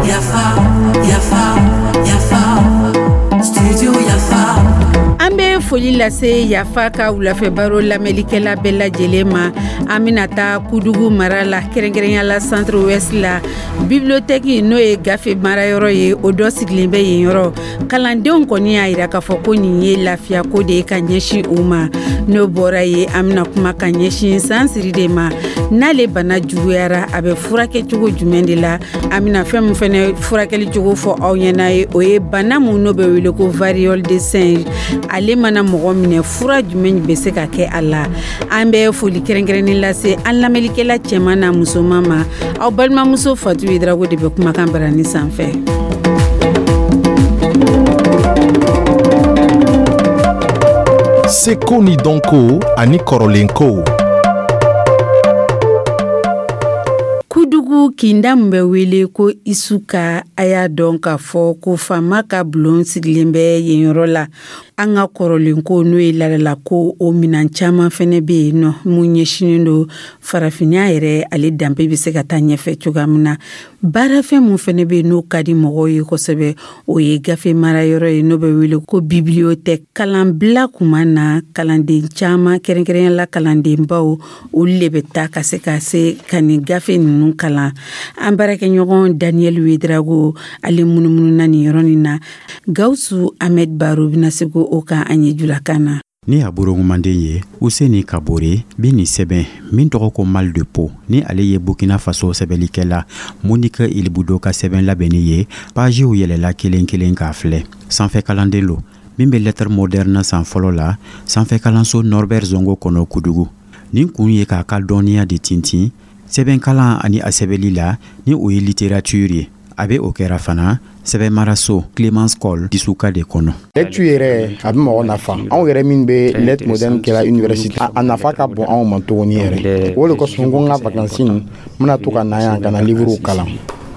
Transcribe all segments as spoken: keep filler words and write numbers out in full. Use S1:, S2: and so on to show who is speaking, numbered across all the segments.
S1: Yafa, yafa, yafa, studio Yafa.
S2: An bɛ foli lase Yafa ka wulafɛ baro lamɛnlikɛla bɛɛ lajɛlen ma. An bɛna taa Kudugu mara la, kɛrɛnkɛrɛnya la Centre Ouest la, bibliothèque, n'o ye gafe marayɔrɔ ye, o dɔ sigilen bɛ yen yɔrɔ. Kalandenw kɔni y'a yira k'a fɔ ko nin ye lafiya ko de ye ka ɲɛsin u ma. N'o bɔra ye, an bɛna kuma ka ɲɛsin sansiri de ma. N'ale bana juguyara, a bɛ furakɛ cogo jumɛn de la? An bɛna fɛn min fɛnɛ furakɛli cogo fɔ aw ɲɛna ye, o ye bana mun n'o bɛ wele ko variole de singe. Ale mana mɔgɔ minɛ, fura jumɛn bɛ se ka kɛ a la? An bɛ foli kɛrɛnkɛrɛnnen lase an lamɛnlikɛla cɛman n'a musoman ma. Aw balimamuso Fatu Yedrago de bɛ kumakan barani sanfɛ.
S3: Seko ni dɔnko ani kɔrɔlenkow.
S2: Kudugu kinda min bɛ wele ko Isuka, a y'a dɔn k'a fɔ ko faama ka bulon sigilen bɛ yen yɔrɔ la. An ka kɔrɔlenko, n'o ye ladalako, o minan caman fɛnɛ bɛ yen nɔ mun ɲɛsinnen don farafinya yɛrɛ, ale danbe bɛ se ka taa ɲɛfɛ cogoya min na. Baarafɛn mun fɛnɛ bɛ yen n'o ka di mɔgɔw ye kosɛbɛ, o ye gafe marayɔrɔ ye n'o bɛ wele ko bibliothèque. Kalanbila kuma na, kalanden caman, kɛrɛnkɛrɛnya la kalandenbaw, olu de bɛ taa ka se ka se ka nin gafe ninnu kalan. An baarakɛɲɔgɔn Daniel Wedrago, ale munumununa nin yɔrɔ nin na. Gawusu Ahmed Baro bɛna se o kan an ye julakan na.
S4: Ni a borongumanden ye Useni Kabore bi nin sɛbɛn min tɔgɔ ko Mal de peau, ni ale ye Burkina Faso sɛbɛnnikɛla Monique Ilbudo ka sɛbɛn labɛnni ye, pajiw yɛlɛla kelen kelen k'a filɛ. Sanfɛ kalanden lo min bɛ lettre moderne san fɔlɔ la sanfɛ kalanso Norbert Zongo kɔnɔ Kudugu. Nin kun ye k'a ka dɔnniya de tintin sɛbɛnkalan ani a sɛbɛnli la, ni o ye littérature ye. A bɛ o kɛra fana sɛbɛnmaraso Clemence Cole Disuka de kɔnɔ.
S5: Lecture yɛrɛ, a bɛ mɔgɔ nafa. Anw yɛrɛ min bɛ lettre moderne kɛla université, a nafa ka bon anw ma tuguni yɛrɛ. O de kosɔn n ko n ka vacances n bɛna to ka na yan ka na livre kalan.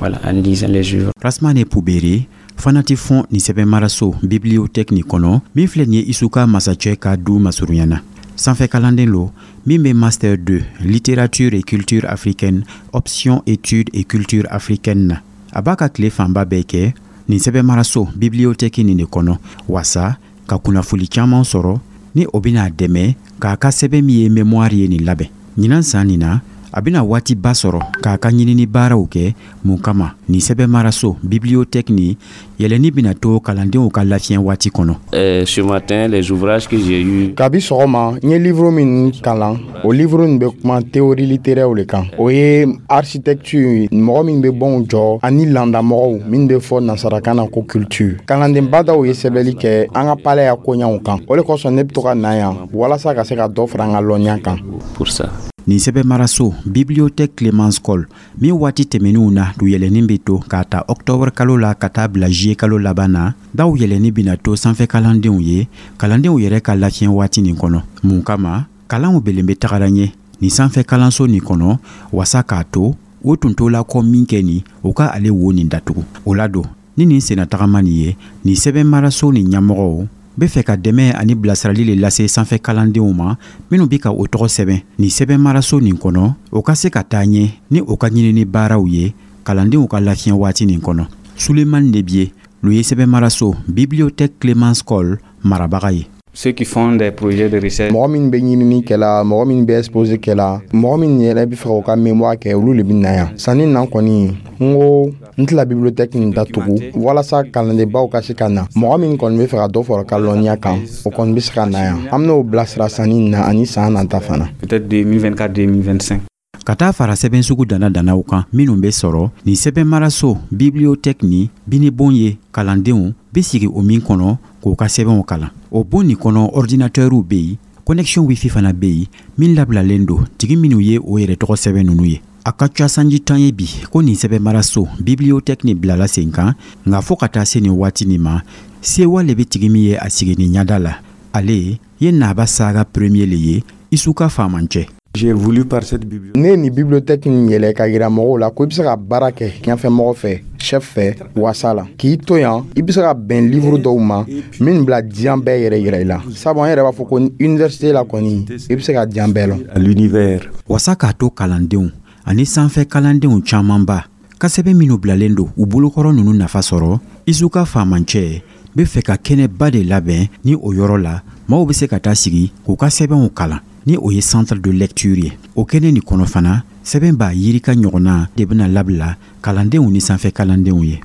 S4: Voilà, en lisant les œuvres. Rasmane Poubere fana tɛ fɔn nin sɛbɛnmaraso bibliothèque nin kɔnɔ min filɛ nin ye Isuka masacɛ ka du masurunya na. Sanfɛ kalanden lo min bɛ master deux littérature et culture africaine, option études et culture africaine na. A b'a ka tile fanba bɛɛ kɛ nin sɛbɛnmaraso bibliothèque nin de kɔnɔ wasa ka kunnafoli caman sɔrɔ, ni o bɛna dɛmɛ k'a ka sɛbɛn min ye mémoire ye nin labɛn. Ɲinan san nin na, a bɛna waatiba sɔrɔ k'a ka ɲinini baaraw kɛ. Mun kama nin sɛbɛnmaraso bibliothèque nin yɛlɛnni bɛna to kalandenw ka lafiɲɛ waati kɔnɔ?
S6: Euh, ce matin, les ouvrages que j'ai eu.
S5: Kabi sɔgɔma, n ye livre min kalan, o livre nin bɛ kuma théorie littéraire le kan. O ye architecture, mɔgɔ min bɛ bɔnw jɔ, ani landamɔgɔw min bɛ fɔ nasarakan na ko culture. Kalandenba dɔw ye sɛbɛnni kɛ an ka palais ya koɲaw kan. O de kosɔn ne bɛ to ka na yan walasa ka se ka dɔ fara an ka lɔnniya kan.
S6: Pour ça.
S4: Nin sɛbɛnmaraso bibliothèque Clemence Cole min waati tɛmɛninw na du yɛlɛnni bɛ to k'a ta octobre kalo la ka taa bila juillet kalo laban na, daw yɛlɛnni bɛna to sanfɛ kalandenw ye kalandenw yɛrɛ ka lafiɲɛ waati nin kɔnɔ. Mun kama kalanw belen bɛ tagara ɲɛ nin sanfɛ kalanso nin kɔnɔ wasa k'a to o tun t'o la kɔ min kɛ nin o ka ale wo nin datugu o la don. Ni nin senna tagama nin ye, nin sɛbɛnmaraso nin ɲɛmɔgɔw bɛ fɛ ka dɛmɛ ani bilasirali le lase sanfɛ kalandenw ma minnu bɛ ka o tɔgɔ sɛbɛn nin sɛbɛnmaraso nin kɔnɔ, o ka se ka taa ɲɛ ni o ka ɲinini baaraw ye kalandenw ka lafiɲɛ waati nin kɔnɔ. Sulemani Nebiye lo ye sɛbɛnmaraso bibliothèque Clemence Cole marabaga ye.
S7: Ceux qui font des projets de recherche.
S5: Mɔgɔ min bɛ ɲinini kɛla, mɔgɔ min bɛ exposé kɛla, mɔgɔ min yɛrɛ bɛ fɛ k'o ka mémoire kɛ, olu de bɛ na yan. Sanni na kɔni, n ko n tɛna bibliothèque nin datugu walasa kalandenbaw ka se ka na. Mɔgɔ min kɔni bɛ fɛ ka dɔ fara ka lɔnniya kan, o kɔni bɛ se ka na yan. An bɛn'o bilasira sanni na ani san nata fana.
S7: Peut-être deux mille vingt-quatre deux mille vingt-cinq.
S4: Ka taa fara sɛbɛn sugu dana danaw kan minnu bɛ sɔrɔ nin sɛbɛnmaraso bibliothèque nin binibon ye, kalandenw bɛ sigi o min kɔnɔ k'u ka sɛbɛnw kalan. O bon nin kɔnɔ, ordinateurw bɛ yen, connexion wifi fana bɛ yen min labilalen don tigi minnu ye o yɛrɛ tɔgɔ sɛbɛn ninnu ye. A ka ca sanji tan ye bi ko nin sɛbɛnmaraso bibliothèque nin bilala sen kan, nka fɔɔ ka taa se nin waati nin ma, sewa le bɛ tigi min ye a sigi nin ɲada la. Ale ye Naba Saga premier le ye Isuka faamancɛ.
S5: J'ai voulu par cette bibliothèque. Ne ye nin bibliothèque nin yɛlɛ ka yira mɔgɔw la ko i bɛ se ka baara kɛ ɲɛfɛmɔgɔ fɛ, chef fɛ, wasa la k'i to yan, i bɛ se ka bɛn livre dɔw ma min bila diɲɛ bɛɛ yɛrɛ yira i la, sabu an yɛrɛ b'a fɔ ko université la kɔni, i bɛ se ka diɲɛ bɛɛ lɔn.
S4: À l'univers. Wasa k'a to kalandenw ani sanfɛ kalandenw camanba ka sɛbɛn minnu bilalen don u bolokɔrɔ ninnu nafa sɔrɔ, I S U ka faamancɛ bɛ fɛ ka kɛnɛba de labɛn ni o yɔrɔ la maaw bɛ se ka taa sigi k'u ka sɛbɛnw kalan, ni o ye centre de lecture ye. O kɛnɛ nin kɔnɔ fana, sɛbɛn b'a yirika ɲɔgɔnna de bɛna labila kalandenw ni sanfɛ kalandenw ye.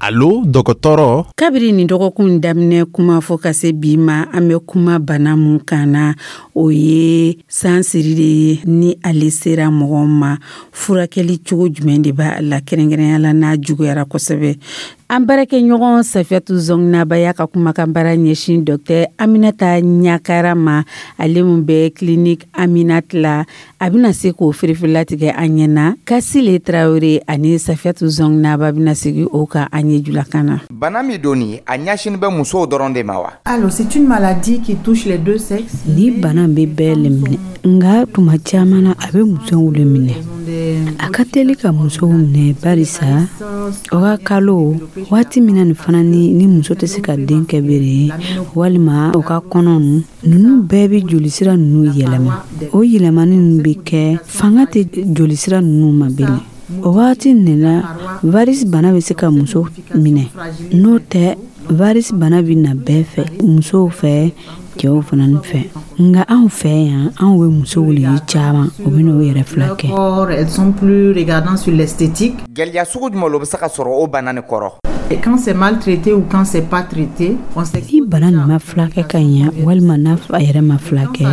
S3: Alo, dɔgɔtɔrɔ.
S2: Kabiri nin dɔgɔkun daminɛ kuma fɔ ka se bi ma, an bɛ kuma bana mun kan na, o ye sansiri de ye. Ni ale sera mɔgɔ ma, furakɛli cogo jumɛn de b'a la, kɛrɛnkɛrɛnya la n'a juguyara kosɛbɛ? An baarakɛɲɔgɔn Safiyatu Zɔnginaba y'a ka kumakan baara ɲɛsin Dɔktɛr Aminata Ɲakara ma, ale min bɛ clinique Aminata la. A bɛna se k'o firifirilatigɛ an ɲɛna. Kasile Tarawele ani Safiyatu Zɔnginaba bɛna sigi o kan an ye julakan na.
S8: Bana min don nin, a ɲɛsinin bɛ musow dɔrɔn de ma wa?
S9: Alors, c'est une maladie qui touche les deux sexes.
S10: Ni bana bɛ bɛɛ le minɛ, nka tuma caman na, a bɛ musow le minɛ. A ka teli ka musow minɛ barisa o ka kalo waati min na nin fana, ni ni muso tɛ se ka den kɛ bere, walima o ka kɔnɔ ninnu bɛɛ bɛ jolisira ninnu yɛlɛma. O yɛlɛmani ninnu bɛ kɛ fanga tɛ jolisira ninnu ma bele. O waati nin la, varice bana bɛ se ka muso minɛ. N'o tɛ, varice bana bɛ na bɛɛ fɛ, musow fɛ, cɛw fana fɛ, nka anw fɛ yan, anw bɛ musow le ye caman, o bɛ n'o yɛrɛ fila kɛ.
S9: Elles sont plus regardantes sur l'esthétique.
S8: Gɛlɛya sugu jumɛn lo bɛ se ka sɔrɔ o bana nin kɔrɔ?
S9: Et quand c'est maltraité ou quand c'est pas traité, on sait.
S10: Ni bana nin ma furakɛ ka ɲɛ, walima n'a a yɛrɛ ma furakɛ,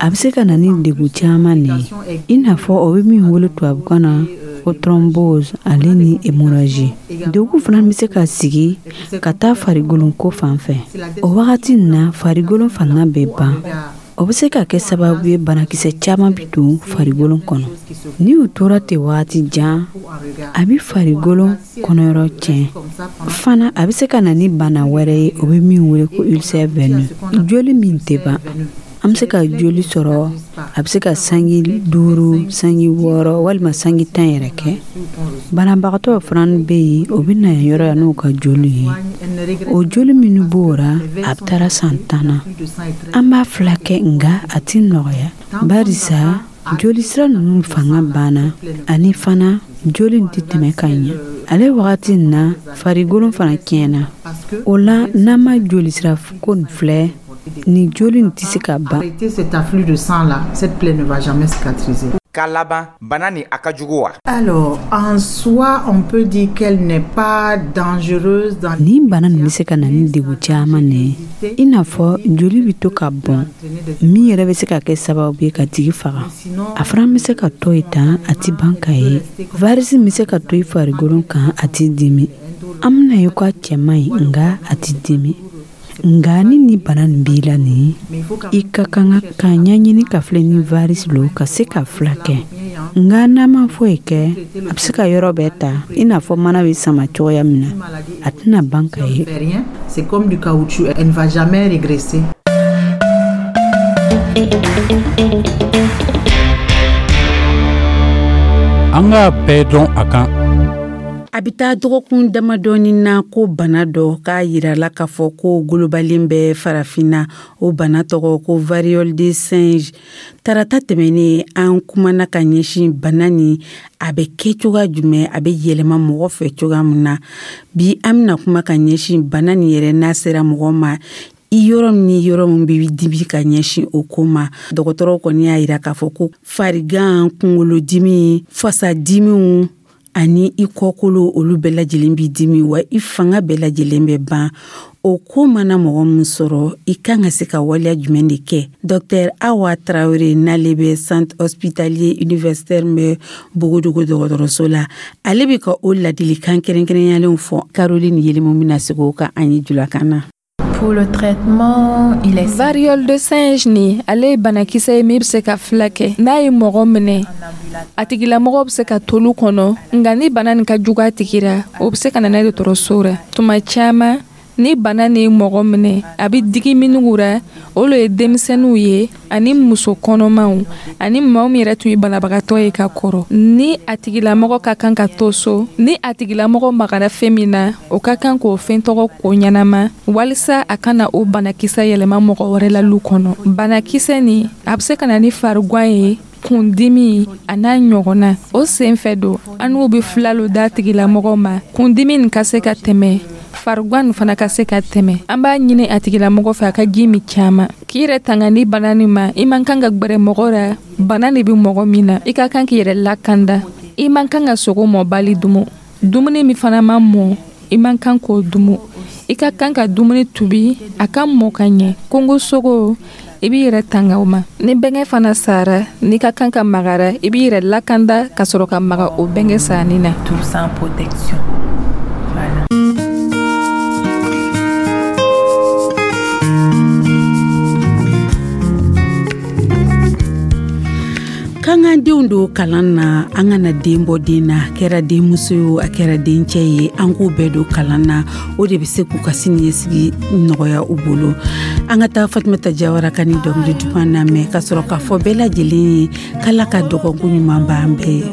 S10: a bɛ se ka na ni degun caman de ye, i n'a fɔ o bɛ min wele tubabukan na ko thrombose, ale ni hémorragie. Degun fana bɛ se ka sigi ka taa farigolon ko fan fɛ. O wagati nin na, farigolon fanga bɛ ban. O bɛ se ka kɛ sababu ye, banakisɛ caman bɛ don farigolon kɔnɔ. Ni o tora ten wagati jan, a bɛ farigolon kɔnɔyɔrɔ tiɲɛ fana. A bɛ se ka na ni bana wɛrɛ ye, o bɛ min wele ko ulcère veineux, joli min tɛ ban. An bɛ se ka joli sɔrɔ, a bɛ se ka sangi duuru, sangi wɔɔrɔ, walima sangi tan yɛrɛ kɛ. Banabagatɔ fana bɛ yen, o bɛ na yan yɔrɔ yan n'u ka joli ye. O joli minnu b'o ra, a bɛ taara san tan na. An b'a furakɛ, nka a tɛ nɔgɔya, barisa jolisira ninnu fanga banna, ani fana joli in tɛ tɛmɛ ka ɲɛ. Ale wagati in na, farigolon fana tiɲɛna. O la, n'an ma jolisira ko nin filɛ, ni joli in tɛ se ka ban.
S9: Arrêter cet afflux de sang là, cette plaie ne va jamais cicatriser.
S8: K'a laban, bana nin a ka jugu wa?
S9: Alors, en soi, on peut dire qu'elle n'est pas dangereuse dans
S10: Nin bana nin bɛ se ka na ni degun caman de ye, i n'a fɔ joli bɛ to ka bɔn, min yɛrɛ bɛ se ka kɛ sababu ye ka tigi faga. A fana bɛ se ka to yen tan, a ti ban ka ye. Varice bɛ se ka to i farikolo kan, a ti dimi. An bɛna ye ko a cɛ man ɲi, nka a ti dimi. Nka ni ni bana nin b'i la nin, i ka kan ka ɲɛɲini ka filɛ ni varice lo, ka se ka furakɛ. Nka n'a ma foyi kɛ, a bɛ se ka yɔrɔ bɛɛ ta, i n'a fɔ mana bɛ sama cogoya min na. A tɛna ban ka ye.
S9: Rien. C'est comme du caoutchouc, elle ne va jamais régresser.
S11: An k'a bɛɛ dɔn a kan.
S2: A bɛ taa dɔgɔkun damadɔni na ko bana dɔ k'a yirala k'a fɔ ko golobalen bɛ Farafinna. O bana tɔgɔ ko variole de singe. Tarata tɛmɛnen, an kumana ka ɲɛsin bana nin, a bɛ kɛ cogoya jumɛn, a bɛ yɛlɛma mɔgɔ fɛ cogoya min na. Bi, an bɛna kuma ka ɲɛsin bana nin yɛrɛ, n'a sera mɔgɔ ma, i yɔrɔ min ni yɔrɔ min bɛ dibi, ka ɲɛsin o ko ma. Dɔgɔtɔrɔw kɔni y'a yira k'a fɔ ko farigan, kunkolodimi, fasadimiw ani i kɔkolo, olu bɛɛ lajɛlen b'i dimi, wa i fanga bɛɛ lajɛlen bɛ ban. O ko mana mɔgɔ min sɔrɔ, i kan ka se ka waleya jumɛn de kɛ? Dɔktɛr Awa Tarawele, n'ale bɛ Centre hospitalier universitaire bɛ Bogodogo dɔgɔtɔrɔso la, ale bɛ ka o ladilikan kɛrɛnkɛrɛnyalenw fɔ. Caroline Yelimu bɛna segin o kan an ye julakan na.
S12: Pour le traitement, il est
S13: Variole de singe ni, ale ye banakisɛ ye min bɛ se ka filakɛ. N'a ye mɔgɔ minɛ, a tigilamɔgɔ bɛ se ka tolu kɔnɔ, nka ni bana nin ka jugu a tigi ra, o bɛ se ka na n'a ye dɔgɔtɔrɔso ra. Tuma caman, Ni bana nin ye mɔgɔ minɛ, a bɛ digi minnu ra, olu ye denmisɛnninw ye, ani muso kɔnɔmaw, ani maa min yɛrɛ tun ye banabagatɔ ye ka kɔrɔ. Ni a tigilamɔgɔ ka kan ka to so, ni a tigilamɔgɔ magara fɛn min na, o ka kan k'o fɛn tɔgɔ ko ɲɛnama, walisa a kana o banakisɛ yɛlɛma mɔgɔ wɛrɛ la lu kɔnɔ. Banakisɛ nin, a bɛ se ka na ni farigwan ye, kundimi a n'a ɲɔgɔnna. O sen fɛ don, an n'u bɛ fila lo d'a tigilamɔgɔ ma, kundimi nin ka se ka tɛmɛ, farigwan nin fana ka se ka tɛmɛ. An b'a ɲini a tigilamɔgɔ fɛ a ka ji min caman, k'i yɛrɛ tanga ni bana nin ma. I man kan ka gwɛrɛ mɔgɔ ra bana de bɛ mɔgɔ min na. I ka kan k'i yɛrɛ lakanda. I man kan ka sogo mɔbali dumu. Dumuni min fana ma mɔ, i man kan k'o dumu. I ka kan ka dumuni tubi a ka mɔ ka ɲɛ. Kongo sogo, i b'i yɛrɛ tanga o ma. Ni bɛnkɛ fana sara, n'i ka kan ka magara, i b'i yɛrɛ lakanda ka sɔrɔ ka maga o bɛnkɛ sanni na.
S12: Tout sans protection. Voilà.
S2: K'an k'an denw don kalan na, an kana den bɔ den na. A kɛra denmuso ye o, a kɛra dencɛ ye, an k'u bɛɛ don kalan na. O de bɛ se k'u ka siniɲɛsigi nɔgɔya u bolo. An ka taa Fatumata Jawara ka ni dɔnkili duman lamɛn, ka sɔrɔ k'a fɔ bɛɛ lajɛlen ye k'Ala ka dɔgɔkun ɲuman b'an bɛɛ ye.